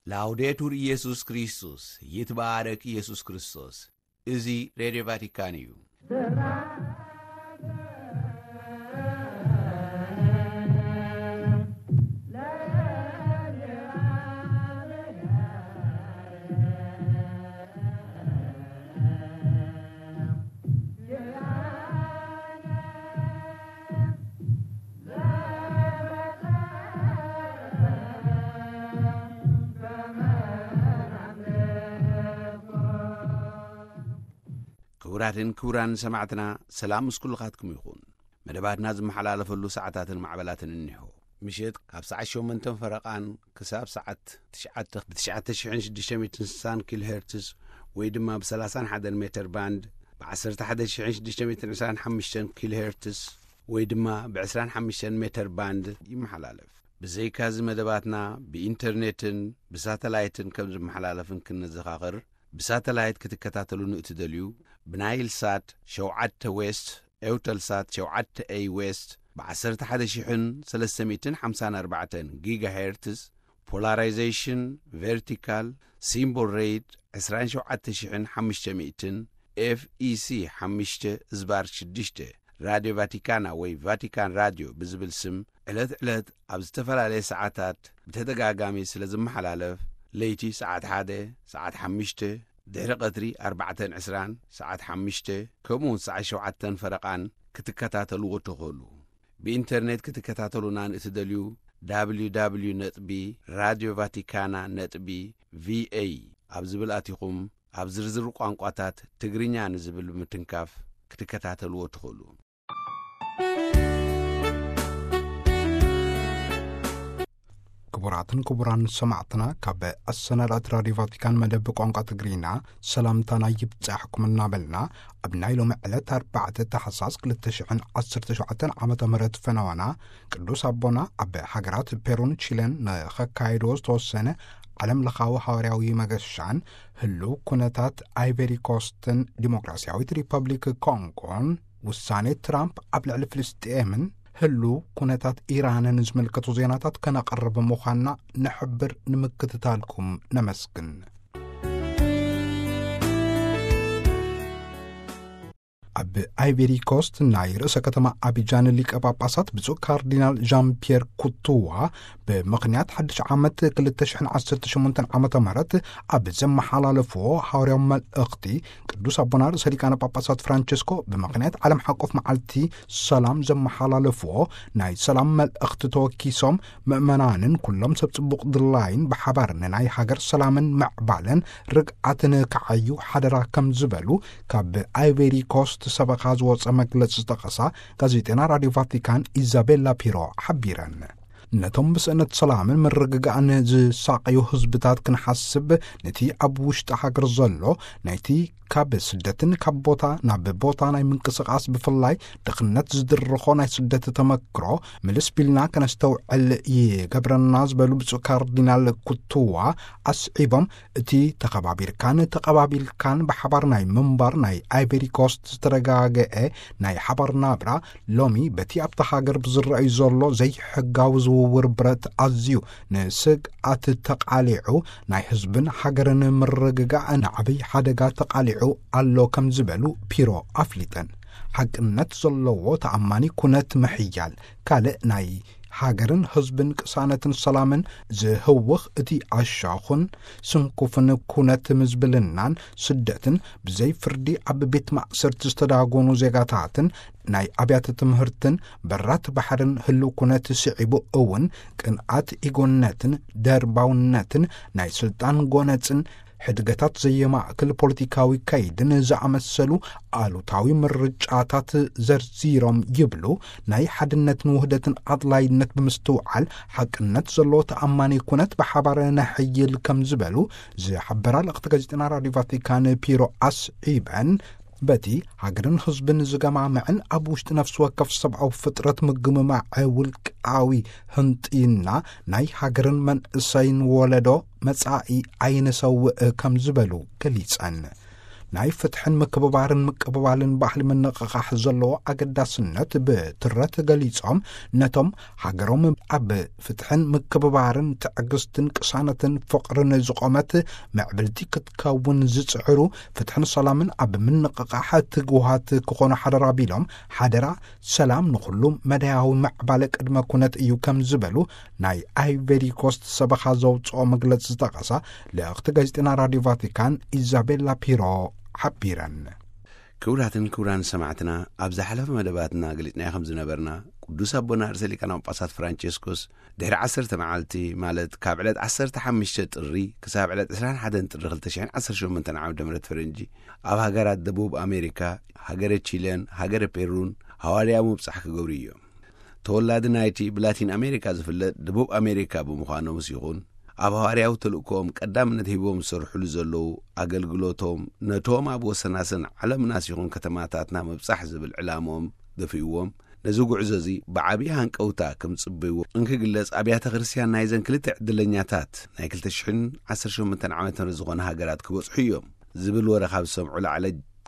ላውዴቱር ኢየሱስ ክርስቶስ፣ ይትባረክ ኢየሱስ ክርስቶስ። እዚ ሬድዮ ቫቲካን እዩ። ክቡራትን ክቡራን ሰማዕትና፣ ሰላም ምስ ኩልኻትኩም ይኹን። መደባትና ዝመሓላለፈሉ ሰዓታትን ማዕበላትን እኒሆ። ምሸት ካብ ሰዓት ሸሞንተን ፈረቓን ክሳብ ሰዓት ትሽዓተ ብ ትሽዓተ ሽሕን ሽዱሽተ ሚእትን ስሳን ኪሎ ሄርትስ ወይ ድማ ብ ሰላሳን ሓደን ሜተር ባንድ፣ ብ ዓሰርተ ሓደ ሽሕን ሽዱሽተ ሚእትን ዕስራን ሓሙሽተን ኪሎ ሄርትስ ወይ ድማ ብ ዕስራን ሓሙሽተን ሜተር ባንድ ይመሓላለፍ። ብዘይካዚ መደባትና ብኢንተርኔትን ብሳተላይትን ከም ዝመሓላለፍን ክንዘኻኽር፣ ብሳተላይት ክትከታተሉ ንእትደልዩ፣ ብናይል ሳት ሸውዓተ ዌስት፣ ኤውተልሳት ሸውዓተ ኤይ ዌስት፣ ብ ዓሰርተ ሓደ ሽሕን ሰለስተ ሚእትን ሓምሳን ኣርባዕተን ጊጋሄርትስ፣ ፖላራይዜሽን ቨርቲካል፣ ሲምቦል ሬት ዕስራን ሸውዓተ ሽሕን ሓሙሽተ ሚእትን፣ ኤፍ ኢ ሲ ሓሙሽተ ዝባር ሽዱሽተ፣ ራድዮ ቫቲካና ወይ ቫቲካን ራድዮ ብዝብል ስም ዕለት ዕለት ኣብ ዝተፈላለየ ሰዓታት ብተደጋጋሚ ስለ ዝመሓላለፍ፣ ለይቲ ሰዓት ሓደ፣ ሰዓት ሓሙሽተ፣ ድሕሪ ቀትሪ ኣርባዕተን ዕስራን፣ ሰዓት ሓሙሽተ፣ ከምኡውን ሰዓት ሸውዓተን ፈረቓን ክትከታተልዎ ትኽእሉ። ብኢንተርኔት ክትከታተሉና ንእትደልዩ፣ ደብሊው ደብሊው ደብሊው ነጥቢ ራድዮ ቫቲካና ነጥቢ ቪ ኤ ኣብ ዝብል ኣቲኹም፣ ኣብ ዝርዝር ቋንቋታት ትግርኛ ንዝብል ብምትንካፍ ክትከታተልዎ ትኽእሉ። ክቡራትን ክቡራን ሰማዕትና፣ ካብ ኣሰናዳእቲ ራድዮ ቫቲካን መደብ ቋንቋ ትግርኛ ሰላምታና ይብጻሕኩም እናበልና፣ ኣብ ናይ ሎሚ ዕለት ኣርባዕተ ታሕሳስ ክልተ ሽሕን ዓሰርተ ሸውዓተን ዓመተ ምህረት ፈነወና፣ ቅዱስ ኣቦና ኣብ ሃገራት ፔሩን ቺለን ንኸካየድዎ ዝተወሰነ ዓለም ለኻዊ ሃዋርያዊ መገሻን ህሉው ኩነታት ኣይቨሪ ኮስትን ዲሞክራሲያዊት ሪፐብሊክ ኮንጎን፣ ውሳኔ ትራምፕ ኣብ ልዕሊ ፍልስጤምን ህሉው ኩነታት ኢራንን ዝምልከቱ ዜናታት ከነቕርብ ምዃንና ንሕብር፣ ንምክትታልኩም ነመስግን። ኣብ ኣይቨሪ ኮስት ናይ ርእሰ ከተማ ኣቢጃን ሊቀ ጳጳሳት ብፁዕ ካርዲናል ዣን ፒየር ኩቱዋ ብምኽንያት ሓድሽ ዓመት ክልተ ሽሕን ዓሰርተ ሸሞንተን ዓመተ ምህረት ኣብ ዘመሓላለፍዎ ሃዋርያዊ መልእኽቲ፣ ቅዱስ ኣቦና ርእሰ ሊቃነ ጳጳሳት ፍራንቸስኮ ብምኽንያት ዓለም ሓቆፍ መዓልቲ ሰላም ዘመሓላለፍዎ ናይ ሰላም መልእኽቲ ተወኪሶም፣ ምእመናንን ኩሎም ሰብ ጽቡቕ ድላይን ብሓባር ንናይ ሃገር ሰላምን ምዕባለን ርግኣትን ክዓዩ ሓደራ ከም ዝበሉ፣ ካብ ኣይቨሪ ኮስት ሰበኻ ዝወጸ መግለጺ ዝጠቐሳ ጋዜጠና ራድዮ ቫቲካን ኢዛቤላ ፒሮ ሓቢረን። ነቶም ብስእነት ሰላምን ምርግጋእን ዝሳቐዩ ህዝብታት ክንሓስብ፣ ነቲ ኣብ ውሽጢ ሃገር ዘሎ፣ ናይቲ ካብ ስደትን ካብ ቦታ ናብ ቦታ ናይ ምንቅስቓስ፣ ብፍላይ ድኽነት ዝድርኾ ናይ ስደት ተመክሮ ምልስ ቢልና ከነስተውዕል ይገብረና ዝበሉ ብፁዕ ካርዲናል ኩቱዋ ኣስዒቦም፣ እቲ ተኸባቢርካን ተቐባቢልካን ብሓባር ናይ ምንባር ናይ ኣይቨሪ ኮስት ዝተረጋገአ ናይ ሓባር ናብራ፣ ሎሚ በቲ ኣብታ ሃገር ብዝረኣዩ ዘሎ ዘይሕጋዊ ዝውውር ብረት ኣዝዩ ንስግኣት ተቓሊዑ፣ ናይ ህዝብን ሃገርን ምርግጋእ ንዓብይ ሓደጋ ተቓሊዑ ኣሎ ከም ዝበሉ ፒሮ ኣፍሊጠን። ሓቅነት ዘለዎ ተኣማኒ ኩነት ምሕያል፣ ካልእ ናይ ሃገርን ህዝብን ቅሳነትን ሰላምን ዝህውኽ፣ እቲ ኣሻኹን ስንኩፍን ኩነት ምዝብልናን ስደትን፣ ብዘይ ፍርዲ ኣብ ቤት ማእሰርቲ ዝተዳጎኑ ዜጋታትን ናይ ኣብያተ ትምህርትን በራት ባሕርን ህልው ኩነት ስዒቡ እውን፣ ቅንኣት ኢጎነትን ደርባውነትን ናይ ስልጣን ጎነጽን ሕድገታት ዘየማእክል ፖለቲካዊ ከይድን ዝኣመሰሉ ኣሉታዊ ምርጫታት ዘርዚሮም ይብሉ። ናይ ሓድነትን ውህደትን ኣድላይነት ብምስትውዓል፣ ሓቅነት ዘለዎ ተኣማኒ ኩነት ብሓባር ነሕይል ከም ዝበሉ ዝሓበራ ልእኽቲ ጋዜጠና ራድዮ ቫቲካን ፒሮ ኣስዒበን፣ በቲ ሃገርን ህዝብን ዝገማምዕን ኣብ ውሽጢ ነፍሲ ወከፍ ሰብኣዊ ፍጥረት ምግምማዕ ውልቃዊ ህንጥይና ናይ ሃገርን መንእሰይን ወለዶ መጻኢ ኣይንሰውእ ከም ዝበሉ ገሊጸን። ናይ ፍትሕን ምክብባርን ምቅብባልን ባህሊ ምንቕቓሕ ዘለዎ ኣገዳስነት ብትረት ገሊጾም፣ ነቶም ሃገሮም ኣብ ፍትሕን ምክብባርን ትዕግስትን ቅሳነትን ፍቕርን ዝቖመት ምዕብልቲ ክትከውን ዝጽዕሩ፣ ፍትሕን ሰላምን ኣብ ምንቕቓሕ ትጉሃት ክኾኑ ሓደራ ቢሎም፣ ሓደራ ሰላም ንኹሉ መዳያዊ ምዕባለ ቅድመ ኩነት እዩ ከም ዝበሉ ናይ ኣይቨሪ ኮስት ሰበኻ ዘውፅኦ መግለፂ ዝጠቐሳ ልእኽቲ ጋዜጠና ራዲዮ ቫቲካን ኢዛቤላ ፒሮ ሓቢረን። ክቡራትን ክቡራን ሰማዕትና፣ ኣብ ዝሓለፈ መደባትና ገሊጽናዮ ከም ዝነበርና፣ ቅዱስ ኣቦና ርእሰ ሊቃነ ጳጳሳት ፍራንቸስኮስ ድሕሪ ዓሰርተ መዓልቲ፣ ማለት ካብ ዕለት ዓሰርተ ሓሙሽተ ጥሪ ክሳብ ዕለት ዕስራን ሓደን ጥሪ ክልተ ሽሕን ዓሰርተ ሸሞንተን ዓመተ ምህረት ፈረንጂ፣ ኣብ ሃገራት ደቡብ ኣሜሪካ፣ ሃገረ ቺለን ሃገረ ፔሩን ሃዋርያዊ ምብጻሕ ክገብሩ እዮም። ተወላዲ ናይቲ ብላቲን ኣሜሪካ ዝፍለጥ ደቡብ ኣሜሪካ ብምዃኖምስ ይኹን፣ ኣብ ሃዋርያዊ ተልእኮኦም ቀዳምነት ሂቦም ዝሰርሕሉ ዘለዉ ኣገልግሎቶም፣ ነቶም ኣብ ወሰናስን ዓለምናስ ይኹን ከተማታትና ምብጻሕ ዝብል ዕላምኦም ደፊእዎም፣ ነዚ ጉዕዞ እዚ ብዓብዪ ሃንቀውታ ከም ዝጽበይዎ እንክግለጽ፣ ኣብያተ ክርስቲያን ናይዘን ክልተ ዕድለኛታት ናይ ክልተ ሽሕን ዓሰርተ ሸሞንተን ዓመተ ምህረት ዝኾና ሃገራት ክበጽሑ እዮም ዝብል ወረ ካብ ዝሰምዑ ላዕለ፣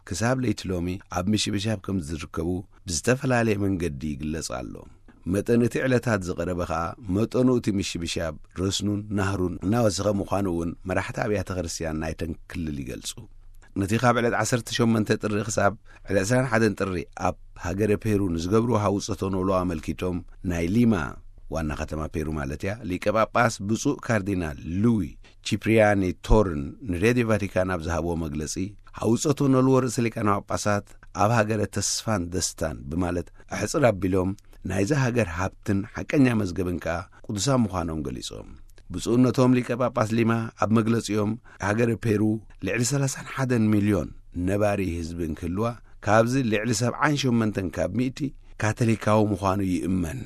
ክሳብ ለይቲ ሎሚ ኣብ ምሽብሻብ ከም ዝርከቡ ብዝተፈላለየ መንገዲ ይግለጽ ኣሎ። መጠን እቲ ዕለታት ዝቐረበ ኸኣ፣ መጠኑ እቲ ምሽብሻብ ረስኑን ናህሩን እናወሰኸ ምዃኑ እውን መራሕቲ ኣብያተ ክርስቲያን ናይተን ክልል ይገልጹ። ነቲ ካብ ዕለት ዓሰርተ ሸሞንተ ጥሪ ክሳብ ዕለት ዕስራን ሓደን ጥሪ ኣብ ሃገረ ፔሩ ንዝገብርዎ ሃውጸቶ ኖሎ ኣመልኪቶም፣ ናይ ሊማ፣ ዋና ከተማ ፔሩ ማለት እያ፣ ሊቀ ጳጳስ ብፁዕ ካርዲናል ሉዊ ቺፕሪያኒ ቶርን ንሬድዮ ቫቲካን ኣብ ዝሃብዎ መግለጺ፣ ሃውጸቶ ኖልዎ ርእሰ ሊቃነ ጳጳሳት ኣብ ሃገረ ተስፋን ደስታን ብማለት ኣሕጽር ኣቢሎም፣ ናይዛ ሃገር ሃብትን ሓቀኛ መዝገብን ከኣ ቅዱሳን ምዃኖም ገሊጾም። ብፁዕነቶም ሊቀ ጳጳስ ሊማ ኣብ መግለጺኦም፣ ሃገረ ፔሩ ልዕሊ ሰላሳን ሓደን ሚልዮን ነባሪ ህዝቢ እንክህልዋ፣ ካብዚ ልዕሊ ሰብዓን ሸሞንተን ካብ ሚእቲ ካቶሊካዊ ምዃኑ ይእመን።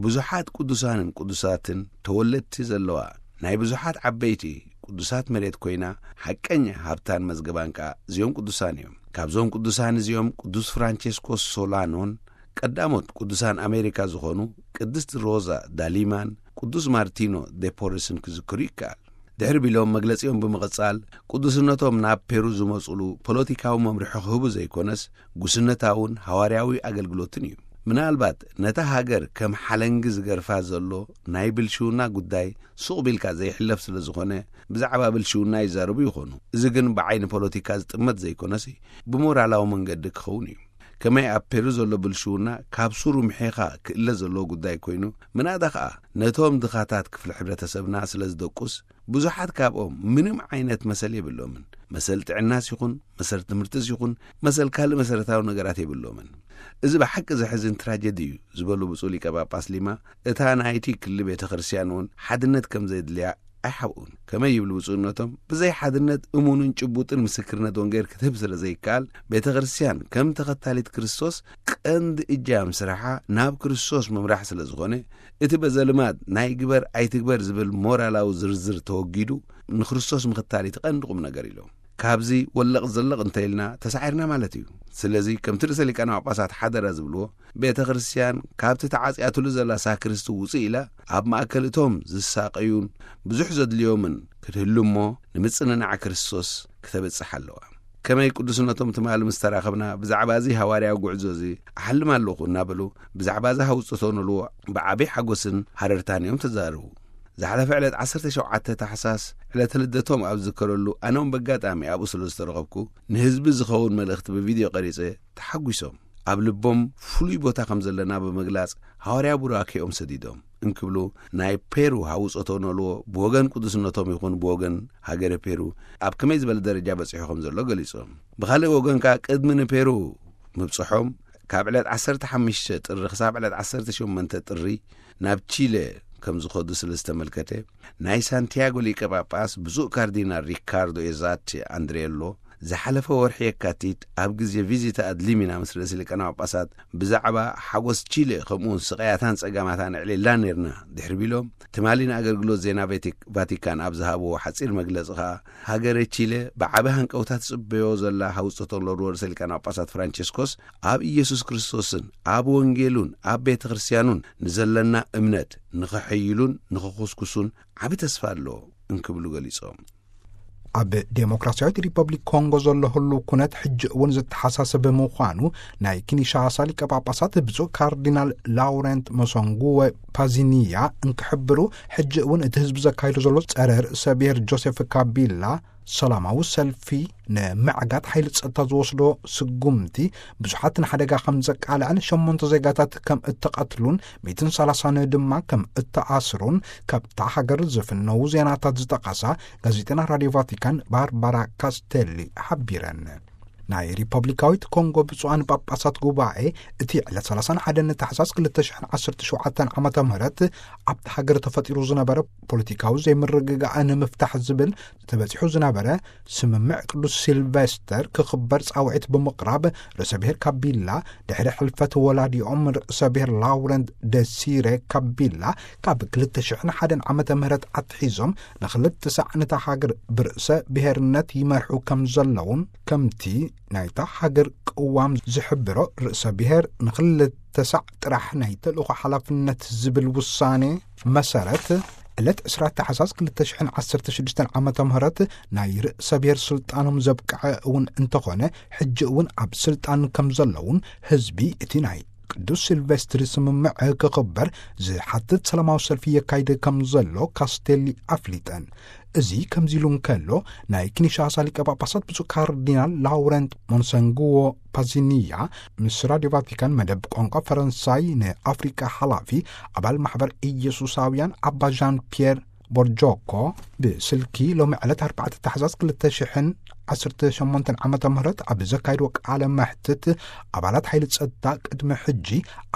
ብዙሓት ቅዱሳንን ቅዱሳትን ተወለድቲ ዘለዋ ናይ ብዙሓት ዓበይቲ ቅዱሳት መሬት ኮይና፣ ሓቀኛ ሃብታን መዝገባን ከኣ እዚኦም ቅዱሳን እዮም። ካብዞም ቅዱሳን እዚኦም ቅዱስ ፍራንቸስኮስ ሶላኖን፣ ቀዳሞት ቅዱሳን ኣሜሪካ ዝኾኑ ቅድስት ሮዛ ዳሊማን ቅዱስ ማርቲኖ ዴፖርስን ክዝክሩ ይከኣል። ድሕሪ ቢሎም መግለጺኦም ብምቕጻል፣ ቅዱስነቶም ናብ ፔሩ ዝመጹሉ ፖለቲካዊ መምርሒ ክህቡ ዘይኮነስ፣ ጉስነታውን ሃዋርያዊ ኣገልግሎትን እዩ። ምናልባት ነታ ሃገር ከም ሓለንጊ ዝገርፋ ዘሎ ናይ ብልሽውና ጉዳይ ሱቕ ቢልካ ዘይሕለፍ ስለ ዝኾነ፣ ብዛዕባ ብልሽውና ይዛረቡ ይኾኑ። እዚ ግን ብዓይኒ ፖለቲካ ዝጥመት ዘይኮነሲ፣ ብሞራላዊ መንገዲ ክኸውን እዩ። ከመይ ኣብ ፔሩ ዘሎ ብልሽውና ካብ ሱሩ ምሒኻ ክእለ ዘለዎ ጉዳይ ኮይኑ፣ ምናዳ ኸኣ ነቶም ድኻታት ክፍሊ ሕብረተሰብና ስለ ዝደቁስ፣ ብዙሓት ካብኦም ምንም ዓይነት መሰል የብሎምን። መሰል ጥዕናስ ይኹን፣ መሰል ትምህርትስ ይኹን፣ መሰል ካልእ መሰረታዊ ነገራት የብሎምን። እዚ ብሓቂ ዘሕዝን ትራጀዲ እዩ ዝበሉ ብፁዕ ሊቀ ጳጳስ ሊማ፣ እታ ናይቲ ክሊ ቤተ ክርስቲያን እውን ሓድነት ከም ዘድልያ ኣይሓብኡን። ከመይ ይብሉ ብፁዕነቶም፣ ብዘይ ሓድነት እሙንን ጭቡጥን ምስክርነት ወንጌል ክትህብ ስለ ዘይከኣል፣ ቤተ ክርስቲያን ከም ተኸታሊት ክርስቶስ ቀንዲ እጃም ስራሓ ናብ ክርስቶስ ምምራሕ ስለ ዝኾነ፣ እቲ በዘልማድ ናይ ግበር ኣይትግበር ዝብል ሞራላዊ ዝርዝር ተወጊዱ፣ ንክርስቶስ ምኽታል እቲ ቀንዲ ቁም ነገር ኢሎም። ካብዚ ወለቕ ዘለቕ እንተ ኢልና ተሳዒርና ማለት እዩ። ስለዚ ከምቲ ርእሰ ሊቃነ ጳጳሳት ሓደራ ዝብልዎ፣ ቤተ ክርስቲያን ካብቲ ተዓጽያትሉ ዘላ ሳክርስቲ ውጽእ ኢላ ኣብ ማእከል እቶም ዝሳቐዩን ብዙሕ ዘድልዮምን ክትህሉ እሞ፣ ንምጽንናዕ ክርስቶስ ክተብጽሕ ኣለዋ። ከመይ ቅዱስነቶም ትማሊ ምስ ተራኸብና ብዛዕባ እዚ ሃዋርያዊ ጉዕዞ እዚ ኣሓልም ኣለኹ እናበሉ ብዛዕባ እዚ ሃውጽቶ ንልዎ ብዓብዪ ሓጎስን ሃረርታን እዮም ተዛረቡ። ዝሓለፈ ዕለት ዓሰርተ ሸውዓተ ታሕሳስ ዕለተ ልደቶም ኣብ ዝዝከረሉ ኣነ እውን በጋጣሚ ኣብኡ ስለ ዝተረኸብኩ ንህዝቢ ዝኸውን መልእኽቲ ብቪድዮ ቀሪጸ ተሓጒሶም ኣብ ልቦም ፍሉይ ቦታ ከም ዘለና ብምግላጽ ሃዋርያ ቡራኬኦም ሰዲዶም እንክብሉ ናይ ፔሩ ሃውጾቶ ነልዎ ብወገን ቅዱስነቶም ይኹን ብወገን ሃገረ ፔሩ ኣብ ከመይ ዝበለ ደረጃ በጺሑ ከም ዘሎ ገሊጾም። ብኻልእ ወገን ከኣ ቅድሚ ንፔሩ ምብጽሖም ካብ ዕለት ዓሰርተ ሓሙሽተ ጥሪ ክሳብ ዕለት ዓሰርተ ሸሞንተ ጥሪ ናብ ቺለ ከም ዝኸዱ ስለ ዝተመልከተ፣ ናይ ሳንቲያጎ ሊቀ ጳጳስ ብፁዕ ካርዲናል ሪካርዶ ኤዛቲ ኣንድሬሎ ዝሓለፈ ወርሒ የካቲት ኣብ ግዜ ቪዚታ ኣድሊሚና ምስ ርእሲ ሊቃነ ጳጳሳት ብዛዕባ ሓጎስ ቺለ ከምኡውን ስቓያታን ጸጋማታን ኣዕሊልና ነርና ድሕሪ ቢሎም፣ ትማሊ ንኣገልግሎት ዜና ቬቲክ-፣ ቫቲካን ኣብ ዝሃብዎ ሓጺር መግለጺ ከኣ፣ ሃገረ ቺለ ብዓቢ ሃንቀውታ ትጽበዮ ዘላ ሃውጽቶ ለርዎ ርእሰ ሊቃነ ጳጳሳት ፍራንቸስኮስ ኣብ ኢየሱስ ክርስቶስን ኣብ ወንጌሉን ኣብ ቤተ ክርስቲያኑን ንዘለና እምነት ንኸሐይሉን ንኸኹስኩሱን ዓቢ ተስፋ ኣሎ እንክብሉ ገሊጾም። ኣብ ዴሞክራሲያዊት ሪፐብሊክ ኮንጎ ዘሎ ህሉ ኩነት ሕጂ እውን ዘተሓሳሰበ ምዃኑ ናይ ኪንሻሳ ሊቀ ጳጳሳት ብፁዕ ካርዲናል ላውረንት መሶንጉወ ፓዚኒያ እንክሕብሩ፣ ሕጂ እውን እቲ ህዝቢ ዘካይዶ ዘሎ ጸረ ርእሰ ብሔር ጆሴፍ ካቢላ ሰላማዊ ሰልፊ ንምዕጋት ሓይሊ ጸጥታ ዝወስዶ ስጉምቲ ብዙሓት ንሓደጋ ከም ዘቃልዐን ሸሞንተ ዜጋታት ከም እተቐትሉን ሚእትን ሰላሳን ድማ ከም እተኣስሩን ካብታ ሃገር ዝፍነዉ ዜናታት ዝጠቐሳ ጋዜጠና ራድዮ ቫቲካን ባርባራ ካስቴሊ ሓቢረን። ናይ ሪፐብሊካዊት ኮንጎ ብፁዓን ጳጳሳት ጉባኤ እቲ ዕለት ሰላሳን ሓደን ታሕሳስ ክልተ ሽሕን ዓሰርተ ሸውዓተን ዓመተ ምህረት ኣብቲ ሃገር ተፈጢሩ ዝነበረ ፖለቲካዊ ዘይምርግጋእ ንምፍታሕ ዝብል ተበጺሑ ዝነበረ ስምምዕ ቅዱስ ሲልቨስተር ክኽበር ጻውዒት ብምቕራብ፣ ርእሰ ብሔር ካቢላ ድሕሪ ሕልፈት ወላዲኦም ርእሰ ብሔር ላውረንት ደሲረ ካቢላ ካብ ክልተ ሽሕን ሓደን ዓመተ ምህረት ኣትሒዞም ንኽልተ ሳዕ ነታ ሃገር ብርእሰ ብሔርነት ይመርሑ ከም ዘለውን ከምቲ ናይታ ሃገር ቅዋም ዝሕብሮ ርእሰ ብሔር ንኽልተ ሳዕ ጥራሕ ናይ ተልእኾ ሓላፍነት ዝብል ውሳኔ መሰረት ዕለት ዕስራ ታሕሳስ ክልተ ሽሕን ዓሰርተ ሽዱሽተን ዓመተ ምህረት ናይ ርእሰ ብሔር ስልጣኖም ዘብቅዐ እውን እንተኾነ፣ ሕጂ እውን ኣብ ስልጣን ከም ዘለውን ህዝቢ እቲ ናይ ቅዱስ ሲልቨስትሪ ስምምዕ ክኽበር ዝሓትት ሰላማዊ ሰልፊ የካይድ ከም ዘሎ ካስቴሊ ኣፍሊጠን። እዚ ከምዚ ኢሉ እንከሎ፣ ናይ ኪንሻሳ ሊቀ ጳጳሳት ብፁዕ ካርዲናል ላውረንት ሞንሰንጉዎ ፓዚኒያ ምስ ራድዮ ቫቲካን መደብ ቋንቋ ፈረንሳይ ንኣፍሪቃ ሓላፊ ኣባል ማሕበር ኢየሱሳውያን ኣባ ዣን ፒየር ቦርጆኮ ብስልኪ ሎሚ ዕለት ኣርባዕተ ታሕሳስ ክልተ ሽሕን ዓሰርተ ሸሞንተን ዓመተ ምህረት ኣብ ዘካይድዎ ቃለ መሕትት፣ ኣባላት ሓይሊ ጸጥታ ቅድሚ ሕጂ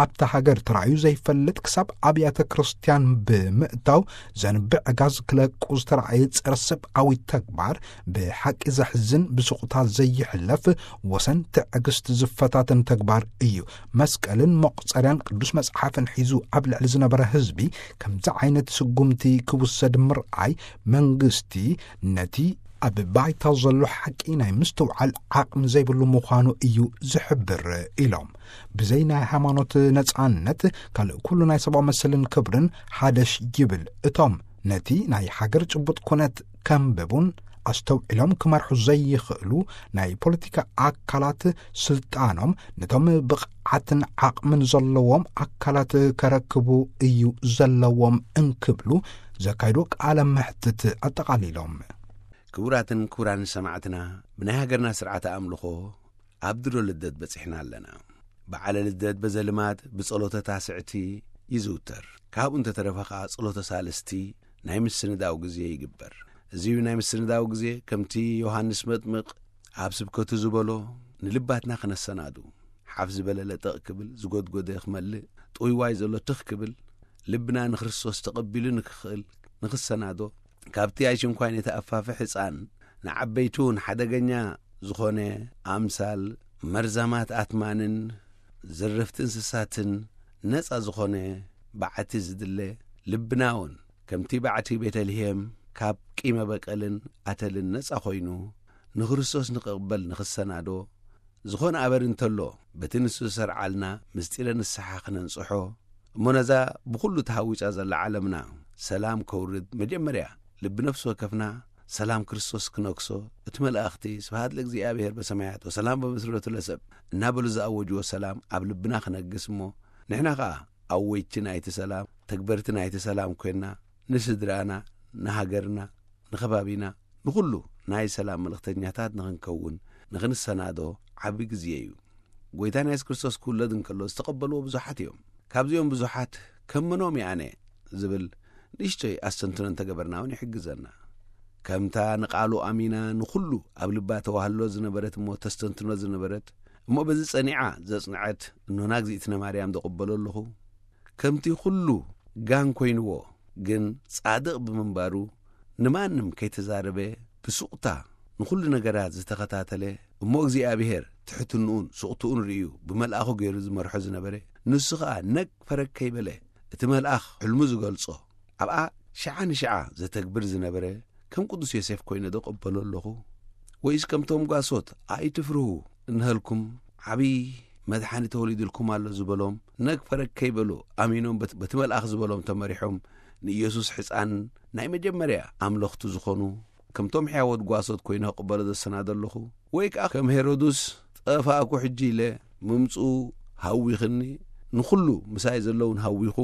ኣብታ ሃገር ተራእዩ ዘይፈልጥ ክሳብ ኣብያተ ክርስትያን ብምእታው ዘንብዕ ጋዝ ክለቁ ዝተራእየ ጸረ ሰብኣዊ ተግባር ብሓቂ ዘሕዝን ብስቑታ ዘይሕለፍ ወሰን ትዕግስት ዝፈታተን ተግባር እዩ። መስቀልን መቑጸርያን ቅዱስ መጽሓፍን ሒዙ ኣብ ልዕሊ ዝነበረ ህዝቢ ከምዚ ዓይነት ስጉምቲ ክውሰድ ምርኣይ መንግስቲ ነቲ ኣብ ባይታ ዘሎ ሓቂ ናይ ምስትውዓል ዓቕሚ ዘይብሉ ምዃኑ እዩ ዝሕብር ኢሎም። ብዘይ ናይ ሃይማኖት ነጻነት ካልእ ኩሉ ናይ ሰብኣዊ መሰልን ክብርን ሓደሽ ይብል። እቶም ነቲ ናይ ሃገር ጭቡጥ ኩነት ከንብቡን ኣስተውዒሎም ክመርሑ ዘይኽእሉ ናይ ፖለቲካ ኣካላት ስልጣኖም ነቶም ብቕዓትን ዓቕምን ዘለዎም ኣካላት ከረክቡ እዩ ዘለዎም እንክብሉ ዘካይዶ ቃለ መሕትት ኣጠቓሊሎም። ክቡራትን ክቡራን ሰማዕትና፣ ብናይ ሃገርና ስርዓተ ኣምልኾ ኣብ ድሮ ልደት በጺሕና ኣለና። በዓለ ልደት በዘልማድ ብጸሎተ ታስዕቲ ይዝውተር። ካብኡ እንተተረፈ ኸኣ ጸሎተ ሳልስቲ ናይ ምስንዳው ግዜ ይግበር። እዚ ናይ ምስንዳው ግዜ ከምቲ ዮሃንስ መጥምቕ ኣብ ስብከቱ ዝበሎ ንልባትና ክነሰናዱ፣ ሓፍ ዝበለ ለጠቕ ክብል፣ ዝጎድጎደ ክመልእ፣ ጥውይዋይ ዘሎ ትኽ ክብል፣ ልብና ንክርስቶስ ተቐቢሉ ንክኽእል ንክሰናዶ፣ ካብቲ ኣይሽንኳይ ነቲ ኣፋፊ ሕፃን ንዓበይቱ እውን ሓደገኛ ዝኾነ ኣምሳል መርዛማት ኣትማንን ዘረፍቲ እንስሳትን ነጻ ዝኾነ በዓቲ ዝድለ፣ ልብና እውን ከምቲ በዓቲ ቤተልሔም ካብ ቂመ በቀልን ኣተልን ነጻ ኮይኑ ንክርስቶስ ንክቕበል ንክሰናዶ ዝኾነ ኣበር እንተሎ በቲ ንሱ ዝሰርዓልና ምስጢረ ንስሓ ክነንጽሖ እሞ ነዛ ብኹሉ ተሃዊጻ ዘላ ዓለምና ሰላም ከውርድ መጀመርያ ልቢ ነፍሲ ወከፍና ሰላም ክርስቶስ ክነግሶ፣ እቲ መላእኽቲ ስብሃት ለእግዚኣብሔር በሰማያት ወሰላም በምስረቱ ለሰብ እናበሉ ዝኣወጅዎ ሰላም ኣብ ልብና ክነግስ እሞ ንሕና ኸኣ ኣወጅቲ ናይቲ ሰላም፣ ተግበርቲ ናይቲ ሰላም ኮይንና ንስድራና፣ ንሃገርና፣ ንኸባቢና፣ ንኹሉ ናይ ሰላም መልእኽተኛታት ንኽንከውን ንኽንሰናዶ ዓቢ ግዜ እዩ። ጎይታና የሱስ ክርስቶስ ክውለድ እንከሎ ዝተቐበልዎ ብዙሓት እዮም። ካብዚኦም ብዙሓት ከም መኖም እየ ኣነ ዝብል ንእሽቶይ ኣስተንትኖ እንተገበርና እውን ይሕግዘና። ከምታ ንቓሉ ኣሚና ንኹሉ ኣብ ልባ ተዋህሎ ዝነበረት እሞ ተስተንትኖ ዝነበረት እሞ በዚ ጸኒዓ ዘጽንዐት እኖና እግዚኣብነ ማርያም ዝቕበሎ ኣለኹ። ከምቲ ኩሉ ጋን ኮይንዎ ግን ጻድቕ ብምንባሩ ንማንም ከይተዛረበ ብሱቕታ ንኹሉ ነገራት ዝተኸታተለ እሞ እግዚኣብሔር ትሕትንኡን ሱቕትኡን ርእዩ ብመልኣኹ ገይሩ ዝመርሖ ዝነበረ ንሱ ኸኣ ነግ ፈረግ ከይበለ እቲ መልኣኽ ሕልሙ ዝገልጾ ኣብኣ ሽዓ ንሽዓ ዘተግብር ዝነበረ ከም ቅዱስ ዮሴፍ ኮይነ ዶ ቀበሎ ኣለኹ? ወይስ ከምቶም ጓሶት ኣይትፍርሁ እንሀልኩም ዓብዪ መድሓኒ ተወሊዱልኩም ኣሎ ዝበሎም ነግ ፈረግ ከይበሉ ኣሚኖም በቲ መልኣኽ ዝበሎም ተመሪሖም ንኢየሱስ ሕፃን ናይ መጀመርያ ኣምለኽቱ ዝኾኑ ከምቶም ሕያወት ጓሶት ኮይነ ክቕበሎ ዘሰናዶ ኣለኹ? ወይ ከኣ ከም ሄሮድስ፣ ጠፋእኩ ሕጂ ኢለ፣ ምምጽኡ ሃዊኽኒ፣ ንኹሉ ምሳይ ዘለውን ሃዊኹ፣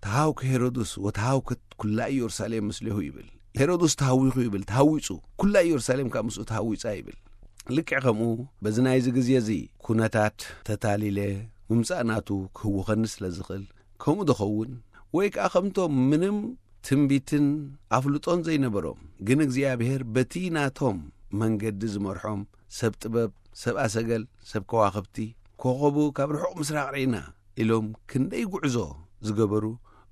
ተሃውከ ሄሮድስ ወተሃውከት ኩላ ኢየሩሳሌም ምስሌሁ ይብል። ሄሮድስ ተሃዊኹ ይብል፣ ተሃዊጹ፣ ኩላ ኢየሩሳሌም ከኣ ምስኡ ተሃዊጻ ይብል። ልክዕ ከምኡ፣ በዚ ናይዚ ግዜ እዚ ኩነታት ተታሊለ፣ ምምጻእ ናቱ ክህውኸኒ ስለ ዝኽእል፣ ከምኡ ዶ ኸውን? ወይ ከኣ ከምቶም ምንም ትንቢትን ኣፍልጦን ዘይነበሮም፣ ግን እግዚኣብሔር በቲ ናቶም መንገዲ ዝመርሖም ሰብ ጥበብ፣ ሰብ ኣሰገል፣ ሰብ ከዋኽብቲ፣ ኮኸቡ ካብ ርሑቕ ምስራቕ ርኢና ኢሎም ክንደይ ጉዕዞ ዝገበሩ፣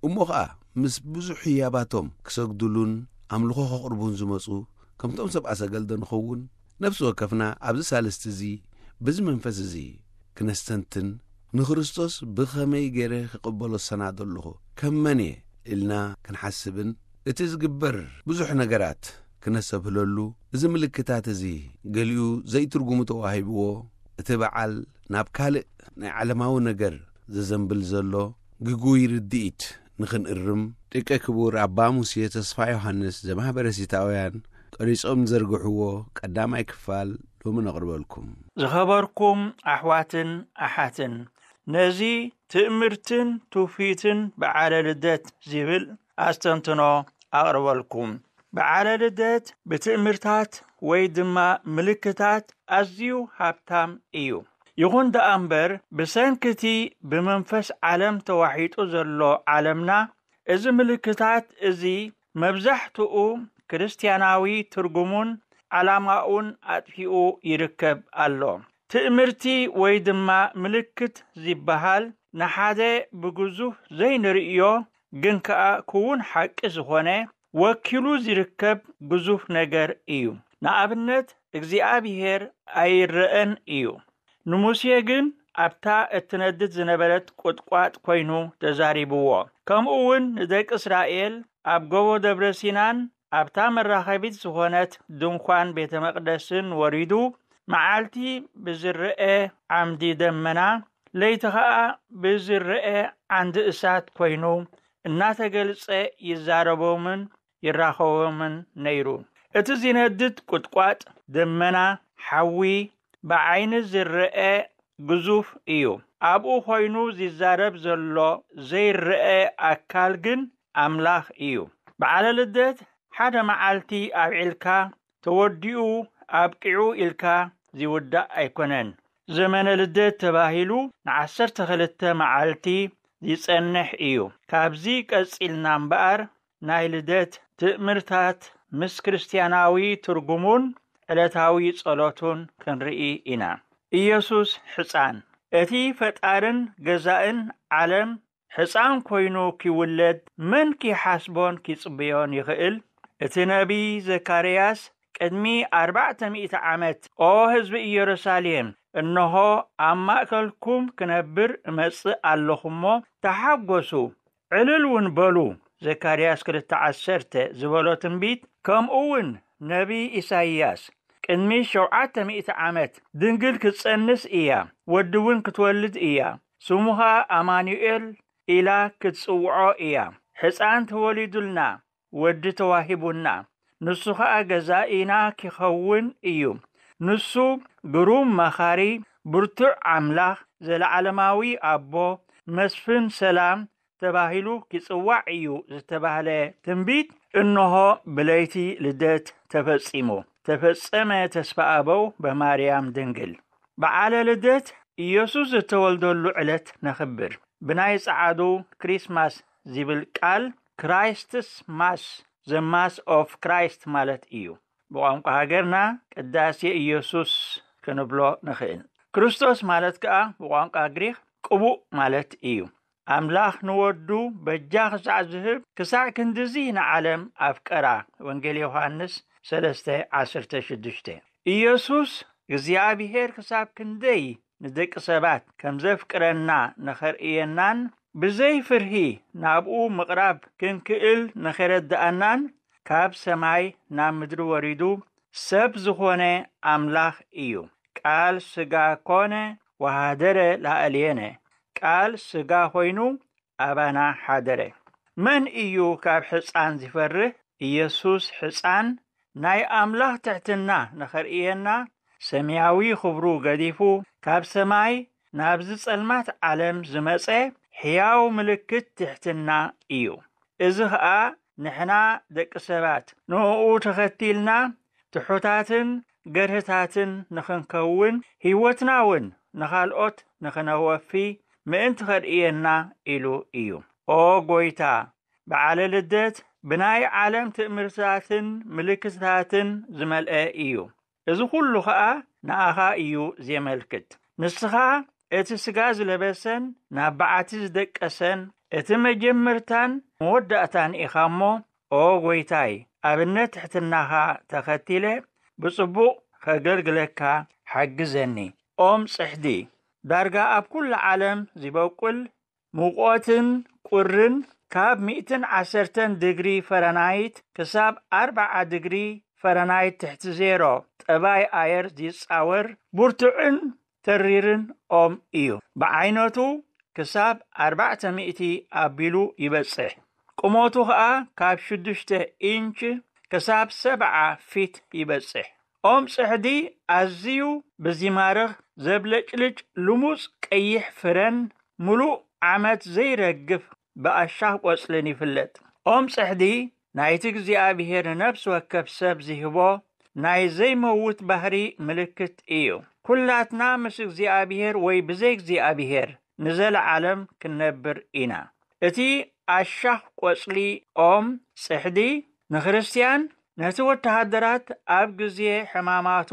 እሞ ኸኣ ምስ ብዙሕ ህያባቶም ክሰግዱሉን ኣምልኾ ከቕርቡን ዝመጹ፣ ከምቶም ሰብ ኣሰገል ዶ ንኸውን? ነፍሲ ወከፍና ኣብዚ ሳልስቲ እዚ፣ በዚ መንፈስ እዚ ክነስተንትን፣ ንክርስቶስ ብኸመይ ገይረ ክቕበሎ ዝሰናዶ ኣለኹ? ከም መን እየ? ኢልና ክንሓስብን፣ እቲ ዝግበር ብዙሕ ነገራት ክነሰብህለሉ፣ እዚ ምልክታት እዚ ገሊኡ ዘይትርጉሙ ተዋሂብዎ፣ እቲ በዓል ናብ ካልእ ናይ ዓለማዊ ነገር ዘዘንብል ዘሎ ግጉይ ርድኢት ንኽንእርም፣ ደቂ ክቡር ኣባ ሙሴ ተስፋ ዮሃንስ ዘማህበረ ሲታውያን ቀሪጾም ዘርግሕዎ ቀዳማይ ክፋል ሎሚ ነቕርበልኩም። ዝኸበርኩም ኣሕዋትን ኣሓትን፣ ነዚ ትእምርትን ትውፊትን በዓለ ልደት ዝብል ኣስተንትኖ ኣቕርበልኩም። በዓለ ልደት ብትእምርታት ወይ ድማ ምልክታት ኣዝዩ ሃብታም እዩ። ይኹን ደኣ እምበር፣ ብሰንኪ እቲ ብመንፈስ ዓለም ተዋሒጡ ዘሎ ዓለምና፣ እዚ ምልክታት እዚ መብዛሕትኡ ክርስትያናዊ ትርጉሙን ዓላማኡን ኣጥፊኡ ይርከብ ኣሎ። ትእምርቲ ወይ ድማ ምልክት ዝበሃል ንሓደ ብግዙፍ ዘይንርእዮ ግን ከኣ ክውን ሓቂ ዝኾነ ወኪሉ ዝርከብ ግዙፍ ነገር እዩ። ንኣብነት እግዚኣብሔር ኣይረኣን እዩ። ንሙሴ ግን ኣብታ እትነድድ ዝነበረት ቁጥቋጥ ኮይኑ ተዛሪብዎ። ከምኡ እውን ንደቂ እስራኤል ኣብ ጎቦ ደብረ ሲናን ኣብታ መራኸቢት ዝኾነት ድንኳን ቤተ መቕደስን ወሪዱ፣ መዓልቲ ብዝረአ ዓምዲ ደመና፣ ለይቲ ኸኣ ብዝረአ ዓንዲ እሳት ኮይኑ እናተገልጸ ይዛረቦምን ይራኸቦምን ነይሩ። እቲ ዝነድድ ቁጥቋጥ፣ ደመና፣ ሓዊ ብዓይኒ ዝረአ ግዙፍ እዩ። ኣብኡ ኮይኑ ዝዛረብ ዘሎ ዘይረአ ኣካል ግን ኣምላኽ እዩ። በዓለ ልደት ሓደ መዓልቲ ኣብዒልካ ተወዲኡ ኣብቂዑ ኢልካ ዝውዳእ ኣይኮነን። ዘመነ ልደት ተባሂሉ ንዓሰርተ ክልተ መዓልቲ ዝጸንሕ እዩ። ካብዚ ቀጺልና እምበኣር ናይ ልደት ትእምርታት ምስ ክርስትያናዊ ትርጉሙን ዕለታዊ ጸሎቱን ክንርኢ ኢና። ኢየሱስ ሕጻን፣ እቲ ፈጣርን ገዛእን ዓለም ሕጻን ኮይኑ ኪውለድ መን ኪሓስቦን ኪጽብዮን ይኽእል? እቲ ነቢይ ዘካርያስ ቅድሚ ኣርባዕተ ሚእቲ ዓመት፣ "ኦ ህዝቢ ኢየሩሳሌም፣ እንሆ ኣብ ማእከልኩም ክነብር እመጽእ ኣለኹ እሞ ተሓጎሱ፣ ዕልል እውን በሉ" ዘካርያስ ክልተ ዓሰርተ ዝበሎ ትንቢት፣ ከምኡ እውን ነቢይ ኢሳይያስ ቅድሚ ሸውዓተ ሚእቲ ዓመት፣ "ድንግል ክትጸንስ እያ፣ ወዲ እውን ክትወልድ እያ፣ ስሙ ኸኣ ኣማኑኤል ኢላ ክትጽውዖ እያ። ሕጻን ተወሊዱልና፣ ወዲ ተዋሂቡና፣ ንሱ ኸኣ ገዛኢና ኪኸውን እዩ። ንሱ ግሩም መኻሪ፣ ብርቱዕ ኣምላኽ፣ ዘለዓለማዊ ኣቦ፣ መስፍን ሰላም ተባሂሉ ኪጽዋዕ እዩ" ዝተባህለ ትንቢት፣ እንሆ ብለይቲ ልደት ተፈጺሙ። ተፈጸመ ተስፋ ኣበው በማርያም ድንግል። በዓለ ልደት ኢየሱስ ዝተወልደሉ ዕለት ነኽብር። ብናይ ጸዓዱ ክሪስማስ ዝብል ቃል ክራይስትስ ማስ፣ ዘ ማስ ኦፍ ክራይስት ማለት እዩ። ብቋንቋ ሃገርና ቅዳሴ ኢየሱስ ክንብሎ ንኽእል። ክርስቶስ ማለት ከኣ ብቋንቋ ግሪኽ ቅቡእ ማለት እዩ። ኣምላኽ ንወዱ በጃ ክሳዕ ዝህብ፣ ክሳዕ ክንድዚ ንዓለም ኣፍቀራ። ወንጌል ዮሃንስ ሰለስተ ዓሰርተ ሽዱሽተ። ኢየሱስ እግዚኣብሔር ክሳብ ክንደይ ንደቂ ሰባት ከም ዘፍቅረና ንኸርእየናን፣ ብዘይ ፍርሂ ናብኡ ምቕራብ ክንክእል ንኸረድኣናን፣ ካብ ሰማይ ናብ ምድሪ ወሪዱ ሰብ ዝኾነ ኣምላኽ እዩ። ቃል ሥጋ ኮነ ወሃደረ ላዕሌነ። ቃል ሥጋ ኮይኑ ኣባና ሓደረ። መን እዩ ካብ ሕፃን ዝፈርህ? ኢየሱስ ሕፃን ናይ ኣምላኽ ትሕትና ንኸርእየና፣ ሰማያዊ ኽብሩ ገዲፉ፣ ካብ ሰማይ ናብዚ ጸልማት ዓለም ዝመጸ ሕያው ምልክት ትሕትና እዩ። እዚ ኸኣ ንሕና ደቂ ሰባት ንእኡ ተኸቲልና ትሑታትን ገርህታትን ንኽንከውን፣ ህይወትና እውን ንኻልኦት ንኽነወፊ ምእንቲ ኸርእየና ኢሉ እዩ። ኦ ጐይታ፣ በዓለ ልደት ብናይ ዓለም ትእምርትታትን ምልክትታትን ዝመልአ እዩ። እዚ ኹሉ ኸኣ ንኣኻ እዩ ዜመልክት። ንስኻ እቲ ስጋ ዝለበሰን ናብ በዓቲ ዝደቀሰን፣ እቲ መጀመርታን መወዳእታን ኢኻ እሞ፣ ኦ ጐይታይ፣ ኣብነት ትሕትናኻ ተኸቲለ ብጽቡቕ ኸገልግለካ ሓግዘኒ። ኦም ጽሕዲ፣ ዳርጋ ኣብ ኩሉ ዓለም ዚበቁል፣ ሙቐትን ቁርን ካብ ሚእትን ዓሰርተን ድግሪ ፈረናይት ክሳብ ኣርብዓ ድግሪ ፈረናይት ትሕቲ ዜሮ ጠባይ ኣየር ዚጻወር ብርቱዕን ተሪርን ኦም እዩ። ብዓይነቱ ክሳብ ኣርባዕተ ሚእቲ ኣቢሉ ይበጽሕ። ቁመቱ ኸኣ ካብ ሽዱሽተ ኢንች ክሳብ ሰብዓ ፊት ይበጽሕ። ኦም ጽሕዲ ኣዝዩ ብዚማርኽ ዘብለጭልጭ ልሙጽ ቀይሕ ፍረን ምሉእ ዓመት ዘይረግፍ ብኣሻኽ ቆጽልን ይፍለጥ። ኦም ጽሕዲ ናይቲ እግዚኣብሔር ንነፍሲ ወከፍ ሰብ ዚህቦ ናይ ዘይመውት ባህሪ ምልክት እዩ። ኩላትና ምስ እግዚኣብሔር ወይ ብዘይ እግዚኣብሔር ንዘለዓለም ክንነብር ኢና። እቲ ኣሻኽ ቆጽሊ ኦም ጽሕዲ ንክርስትያን ነቲ ወተሃደራት ኣብ ግዜ ሕማማቱ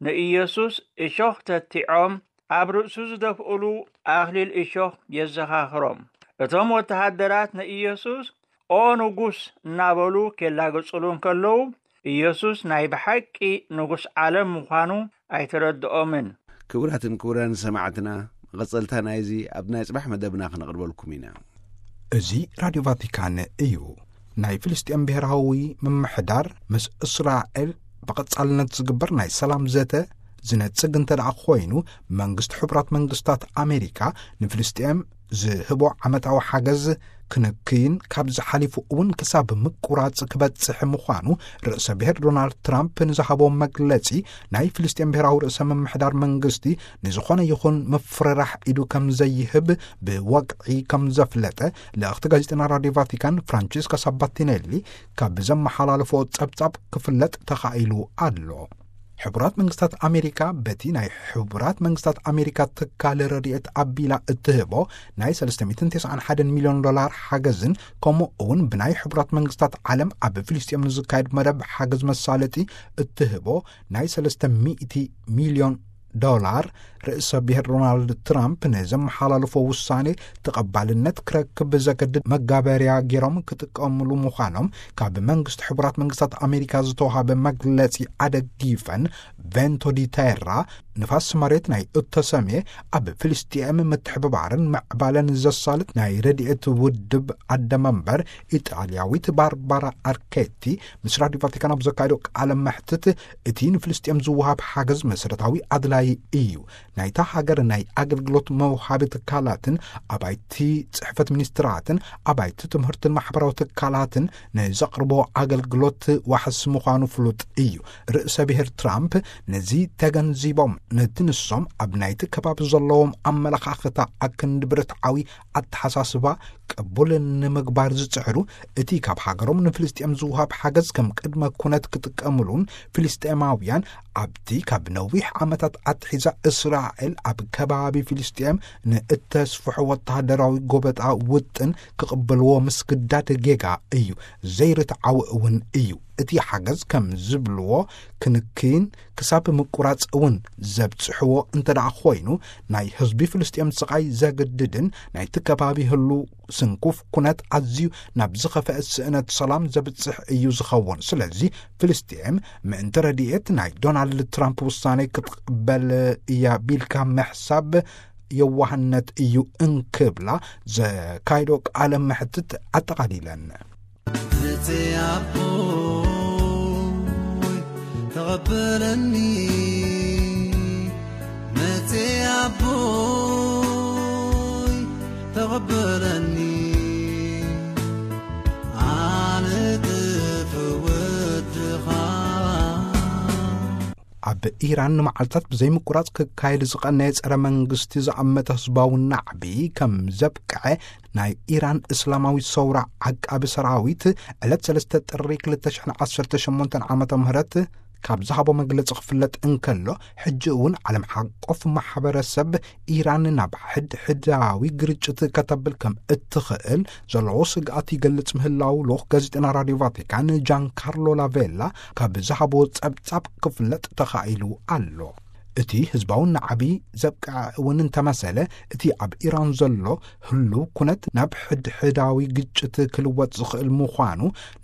ንኢየሱስ እሾኽ ተቲዖም ኣብ ርእሱ ዝደፍእሉ ኣኽሊል እሾኽ የዘኻኽሮም። እቶም ወተሃደራት ንኢየሱስ "ኦ ንጉስ" እናበሉ ኬላግጽሉ እንከለዉ፣ ኢየሱስ ናይ ብሓቂ ንጉስ ዓለም ምዃኑ ኣይተረድኦምን። ክቡራትን ክቡራን ሰማዕትና፣ መቐጸልታ ናይዚ ኣብ ናይ ጽባሕ መደብና ክነቕርበልኩም ኢና። እዚ ራድዮ ቫቲካን እዩ። ናይ ፍልስጤም ብሔራዊ ምምሕዳር ምስ እስራኤል ብቐጻልነት ዝግበር ናይ ሰላም ዘተ ዝነጽግ እንተ ደኣ ኮይኑ፣ መንግስቲ ሕቡራት መንግስታት ኣሜሪካ ንፍልስጤም ዝህቦ ዓመታዊ ሓገዝ ክንክይን ካብዚ ሓሊፉ እውን ክሳብ ምቁራጽ ክበጽሕ ምዃኑ ርእሰ ብሔር ዶናልድ ትራምፕ ንዝሃቦ መግለጺ፣ ናይ ፍልስጤም ብሔራዊ ርእሰ ምምሕዳር መንግስቲ ንዝኾነ ይኹን ምፍርራሕ ኢዱ ከም ዘይህብ ብወግዒ ከም ዘፍለጠ ልእኽቲ ጋዜጠና ራድዮ ቫቲካን ፍራንቺስካ ሳባቲኔሊ ካብ ዘመሓላለፎ ጸብጻብ ክፍለጥ ተኻኢሉ ኣሎ። ሕቡራት መንግስታት ኣሜሪካ በቲ ናይ ሕቡራት መንግስታት ኣሜሪካ ትካል ረድኤት ኣቢላ እትህቦ ናይ ሰለስተ ሚእትን ተስዓን ሓደን ሚልዮን ዶላር ሓገዝን፣ ከምኡ እውን ብናይ ሕቡራት መንግስታት ዓለም ኣብ ፍልስጤም ንዝካየድ መደብ ሓገዝ መሳለጢ እትህቦ ናይ ሰለስተ ሚእቲ ሚልዮን ዶላር፣ ርእሰ ብሔር ዶናልድ ትራምፕ ንዘመሓላለፎ ውሳኔ ተቐባልነት ክረክብ ብዘገድድ መጋበርያ ገይሮም ክጥቀምሉ ምዃኖም ካብ መንግስቲ ሕቡራት መንግስታት ኣሜሪካ ዝተዋሃበ መግለጺ ኣደጊፈን፣ ቬንቶ ዲ ቴራ፣ ንፋስ መሬት ናይ እተሰምየ ኣብ ፍልስጤም ምትሕብባርን ምዕባለን ዘሳልጥ ናይ ረድኤት ውድብ ኣደ መንበር ኢጣልያዊት ባርባራ ኣርኬቲ ምስ ራድዮ ቫቲካን ኣብ ዘካየዶ ቃለ መሕትት፣ እቲ ንፍልስጤም ዝወሃብ ሓገዝ መሰረታዊ ኣድላዪ እዩ። ናይታ ሃገር ናይ ኣገልግሎት መውሃቢ ትካላትን ኣባይቲ ጽሕፈት ሚኒስትራትን ኣባይቲ ትምህርትን ማሕበራዊ ትካላትን ንዘቕርቦ ኣገልግሎት ዋሕስ ምዃኑ ፍሉጥ እዩ። ርእሰ ብሔር ትራምፕ ነዚ ተገንዚቦም፣ ነቲ ንሶም ኣብ ናይቲ ከባቢ ዘለዎም ኣመለኻኽታ ኣክንዲ ብርትዓዊ ኣተሓሳስባ ቅቡል ንምግባር ዝጽዕሩ፣ እቲ ካብ ሃገሮም ንፍልስጤም ዝወሃብ ሓገዝ ከም ቅድመ ኩነት ክጥቀምሉን፣ ፍልስጤማውያን ኣብቲ ካብ ነዊሕ ዓመታት ኣትሒዛ እስራኤል ኣብ ከባቢ ፍልስጤም ንእተስፍሖ ወተሃደራዊ ጎበጣ ውጥን ክቕበልዎ ምስግዳድ ጌጋ እዩ፣ ዘይርትዓዊ እውን እዩ። እቲ ሓገዝ ከም ዝብልዎ ክንክይን ክሳብ ምቁራጽ እውን ዘብጽሕዎ እንተ ደኣ ኮይኑ፣ ናይ ህዝቢ ፍልስጤም ስቓይ ዘግድድን ናይቲ ከባቢ ህሉ ስንኩፍ ኩነት ኣዝዩ ናብ ዝኸፍአ ስእነት ሰላም ዘብጽሕ እዩ ዝኸውን። ስለዚ ፍልስጤም ምእንቲ ረድኤት ናይ ዶናልድ ትራምፕ ውሳኔ ክትቕበል እያ ቢልካ ምሕሳብ የዋህነት እዩ እንክብላ ዘካይዶ ቃለ መሕትት ኣጠቓሊለን። መጽ ኣቦይ ተቐበለኒ፣ መጽ ኣቦይ ተቐበለኒ፣ ኣነ ጥፍ ወድኻ ኣብ ኢራን ንመዓልታት ብዘይምቁራጽ ክካየድ ዝቐነየ ጸረ መንግስቲ ዝኣመተ ህዝባዊ ናዕቢ ከም ዘብቅዐ ናይ ኢራን እስላማዊት ሰውራ ዓቃቢ ሰራዊት ዕለት ሰለስተ ጥሪ ክልተ ሽሕን ዓሰርተ ሸሞንተን ዓመተ ምህረት ካብ ዝሃቦ መግለጺ ክፍለጥ እንከሎ፣ ሕጂ እውን ዓለም ሓቆፍ ማሕበረሰብ ኢራን ናብ ሕድሕዳዊ ግርጭት ከተብል ከም እትኽእል ዘለዎ ስግኣት ይገልጽ ምህላው ልኡኽ ጋዜጠና ራድዮ ቫቲካን ጃን ካርሎ ላቬላ ካብ ዝሃቦ ጸብጻብ ክፍለጥ ተኻኢሉ ኣሎ። እቲ ህዝባዊ ናዕቢ ዘብቅዐ እውን እንተመሰለ፣ እቲ ኣብ ኢራን ዘሎ ህሉው ኩነት ናብ ሕድሕዳዊ ግጭት ክልወጥ ዝኽእል ምዃኑ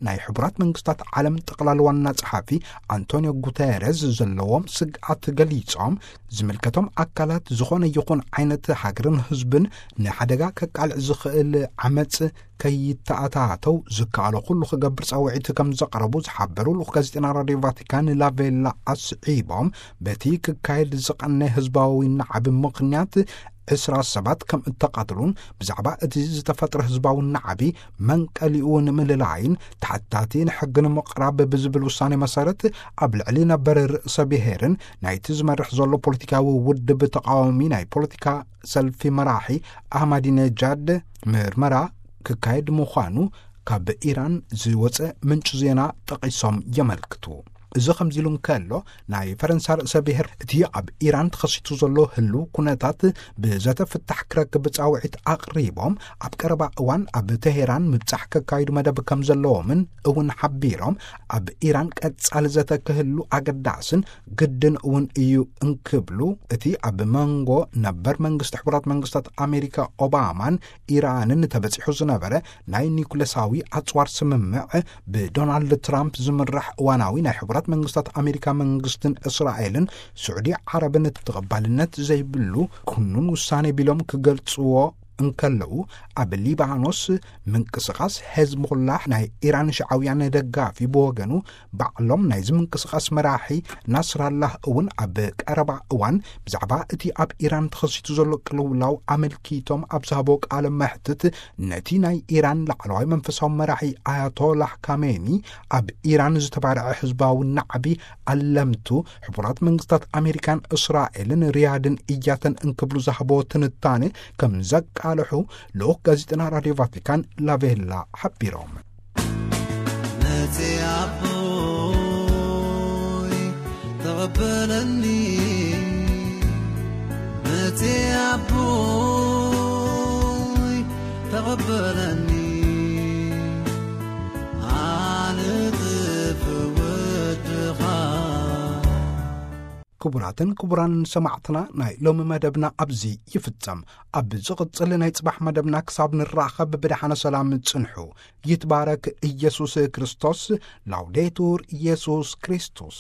ናይ ሕቡራት መንግስታት ዓለም ጠቕላሊ ዋና ጸሓፊ ኣንቶኒዮ ጉተረዝ ዘለዎም ስግኣት ገሊጾም፣ ዝምልከቶም ኣካላት ዝኾነ ይኹን ዓይነት ሃገርን ህዝብን ንሓደጋ ከቃልዕ ዝኽእል ዓመጽ ከይተኣታተው ዝከኣሎ ኩሉ ክገብር ጻውዒት ከም ዘቕረቡ ዝሓበሩ ልኡኽ ጋዜጠና ራድዮ ቫቲካን ላቬላ ኣስዒቦም፣ በቲ ክካየድ ዝቐነ ህዝባዊ ናዕቢ ምኽንያት ዕስራ ሰባት ከም እተቐትሉን ብዛዕባ እቲ ዝተፈጥረ ህዝባዊ ናዕቢ መንቀሊኡ ንምልላይን ተሓታቲ ንሕጊ ንምቕራብ ብዝብል ውሳኔ መሰረት ኣብ ልዕሊ ነበር ርእሰ ብሔርን ናይቲ ዝመርሕ ዘሎ ፖለቲካዊ ውድብ ተቃዋሚ ናይ ፖለቲካ ሰልፊ መራሒ ኣህማዲነጃድ ምርመራ ክካየድ ምዃኑ ካብ ኢራን ዝወጸ ምንጭ ዜና ጠቒሶም የመልክቱ። እዚ ከምዚ ኢሉ እንከሎ፣ ናይ ፈረንሳ ርእሰ ብሔር እቲ ኣብ ኢራን ተኸሲቱ ዘሎ ህልው ኩነታት ብዘተ ፍታሕ ክረክብ ጻውዒት ኣቕሪቦም፣ ኣብ ቀረባ እዋን ኣብ ተሄራን ምብጻሕ ከካይዱ መደብ ከም ዘለዎምን እውን ሓቢሮም፣ ኣብ ኢራን ቀጻሊ ዘተ ክህሉ ኣገዳስን ግድን እውን እዩ እንክብሉ፣ እቲ ኣብ መንጎ ነበር መንግስቲ ሕቡራት መንግስታት ኣሜሪካ ኦባማን ኢራንን ተበጺሑ ዝነበረ ናይ ኒኩለሳዊ ኣጽዋር ስምምዕ ብዶናልድ ትራምፕ ዝምራሕ እዋናዊ ናይ ሕቡራት መንግስታት ኣሜሪካ መንግስትን እስራኤልን ስዑዲ ዓረብን ተቐባልነት ዘይብሉ ክኑን ውሳኔ ቢሎም ክገልጽዎ እንከለዉ፣ ኣብ ሊባኖስ ምንቅስቓስ ሄዝቦላህ ናይ ኢራን ሽዓውያን ደጋፊ ብወገኑ፣ ባዕሎም ናይዚ ምንቅስቓስ መራሒ ናስራላህ እውን ኣብ ቀረባ እዋን ብዛዕባ እቲ ኣብ ኢራን ተኸሲቱ ዘሎ ቅልውላው ኣመልኪቶም ኣብ ዝሃቦ ቃለ መሕትት፣ ነቲ ናይ ኢራን ላዕለዋይ መንፈሳዊ መራሒ ኣያቶላህ ካሜኒ ኣብ ኢራን ዝተባርዐ ህዝባዊ ናዕቢ ኣለምቱ ሕቡራት መንግስታት ኣሜሪካን እስራኤልን ሪያድን እያተን እንክብሉ ዝሃቦ ትንታኔ ከም ዘቃልሑ ልኡኽ ጋዜጠና ራድዮ ቫቲካን ላቬላ ሓቢሮም። መጽ ኣቦይ ተቐበለኒ፣ መጽ ኣቦይ ተቐበለኒ፣ ኣነ ጥፍ ወድኻ። ክቡራትን ክቡራን ሰማዕትና፣ ናይ ሎሚ መደብና ኣብዚ ይፍጸም። ኣብ ዝቕጽል ናይ ጽባሕ መደብና ክሳብ ንራኸብ ብደሓነ ሰላም ጽንሑ። ይትባረክ ኢየሱስ ክርስቶስ። ላውዴቱር ኢየሱስ ክርስቶስ።